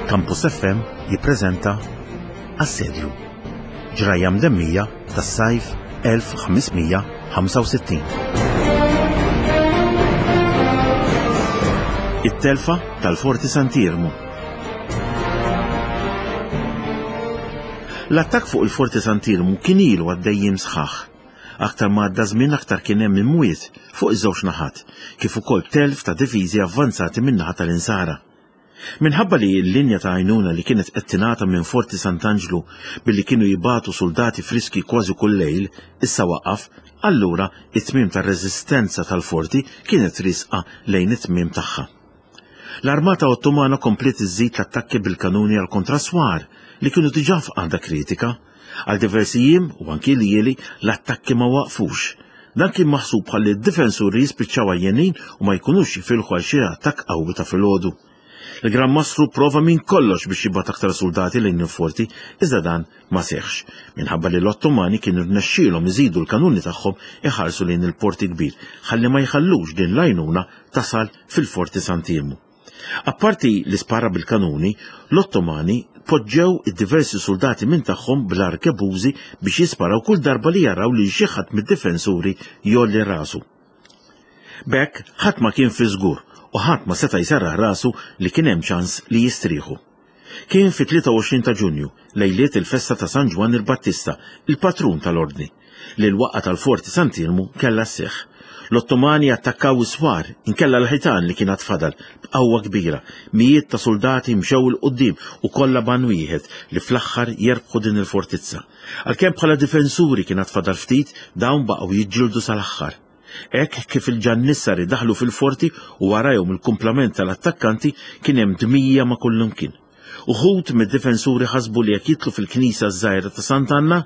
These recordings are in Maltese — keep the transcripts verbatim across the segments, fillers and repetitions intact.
Campus F M jippreżenta Assedju, ġrajja mdemmija tas-sajf elf ħames mija ħamsa u sittin. It-telfa tal-Forti Sant'Iermu. L-attakk fuq il-Forti Sant'Iermu kien ilu għaddejjim sħaħ. Aktar ma għadda żmien aktar kien hemm imwiet fuq iż-żewġ naħat, kif ukoll telf ta' difiżi avvanzati min-naħa tal-Insara. Minħabba li l-linja ta' għajnuna li kienet qed tingħata minn Forti Sant'Anġlu billi kienu jibatu soldati friski kważi kull lejl, issa waqaf, allura it-tmiem tar-reżistenza tal-forti kienet risqa lejn it-tmiem tagħha. L-armata Ottomana kompliet iżżid l-attakki bil-kanuni għal kontraswar li kienu diġà f'qagħda kritika. Għal diversi jiem u anki ljieli l-attakki ma waqfux. Dan kien maħsub bħalli d-difensuri jispiċċaw għajjenin u ma jkunux jifilħu għal xi attakk qawwi ta' filgħodu. Il-Gran Mastru prova minn kollox biex jibgħat aktar soldati lejn il-forti, iżda dan ma seħħx, minħabba li l-Ottomani kienu rnexxielhom iżidu l-kanuni tagħhom iħarsu lejn il-porti kbir, ħalli ma jħallux din l-għajnuna tasal fil-Forti Sant'Iermu. Apparti li spara bil-kanuni, l-Ottomani poġġew id-diversi soldati minn tagħhom bl-arkebużi biex jisparaw kull darba li jaraw li xi ħadd mid-difensuri jolli rasu. B'hekk ħadd ma kien fi żgur u ħadd ma seta' jserraħ rasu li kien hemm ċans li jistrieħu. Kien fit-tlieta u għoxrin ta' Ġunju, lejliet il-festa ta' San Ġwann il-Battista, il-patrun tal-Ordni, li l-waqgħa tal-Forti Sant'Iermu kellha sseħħ. L-Ottomani attakkaw is-swar, inkella l-ħitan li kien fadal b'qawwa kbira. Mijiet ta' soldati mxew il quddiem u kollha ban wieħed li fl-aħħar jerbħu din il-fortizza. Għalkemm bħala difensuri kien fadal ftit, dawn baqgħu jiġġieldu sal-aħħar. Hekk kif il-ġannissari daħlu fil-forti u warajhom il-kumplament tal-attakkanti kien hemm dmija ma' kullimkien. Uħud mid-difensuri ħasbu li jekk jitlu fil-knisja żgħira ta' Sant'Anna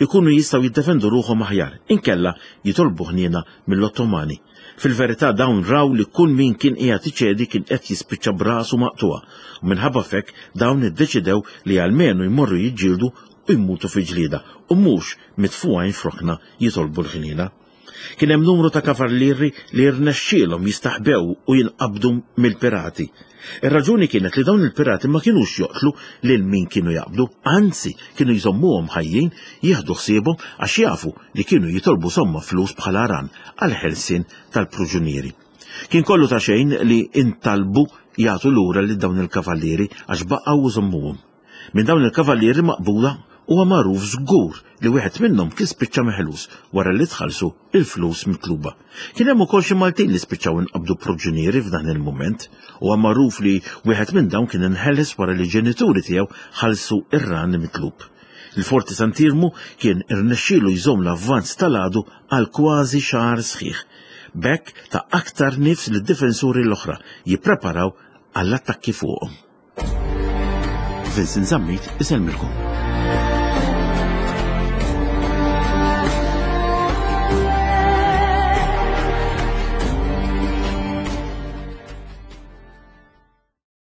ikunu jistgħu jiddefendu ruħhom aħjar, inkella jitolbu ħniena mill-Ottomani. Fil-verità dawn raw li kull min kien qiegħed iċedi kien qed jispiċċa b'rasu maqtuha, u minħabba f'hekk dawn iddeċidew li almenu jmorru jiġġieldu u jmutu fi ġlieda u mhux mitfugħin f'rokna jitolbu l-ħniena. Kien hemm numru ta' kavallieri li rnexxielhom jistaħbew u jinqabdu mill-pirati. Ir-raġuni kienet li dawn il-pirati ma kinux joqtlu lil min kienu jaqbdu, anzi kienu jżommuhom ħajjin, jieħdu ħsiebhom għax jafu li kienu jitolbu somma flus bħala ran għall-ħelsien tal-pruġunieri. Kien kollu ta' xejn li intalbu jagħtu lura lil dawn il-kavallieri għax baqgħu jżommuhom. Minn dawn il-kavallieri maqbula huwa magħruf żgur li wieħed minnhom kien spiċċa meħlus wara li tħallsu il-flus mitluba. Kien hemm ukoll xi Maltin li spiċċaw inqabdu proġunieri f'dan il-mument. Huwa magħruf li wieħed minn dawn kien inħeles wara li ġenituri tiegħu ħallsu ir-ran mitlub. Il-Forti Sant'Iermu kien irnexxielu jżomm l-avvanz tal-għadu għal kważi xahar sħiħ. B'hekk ta' aktar nifs lid-difensuri l-oħra jippreparaw għall-attakki fuqhom. Vincent Zammit isellmilkom.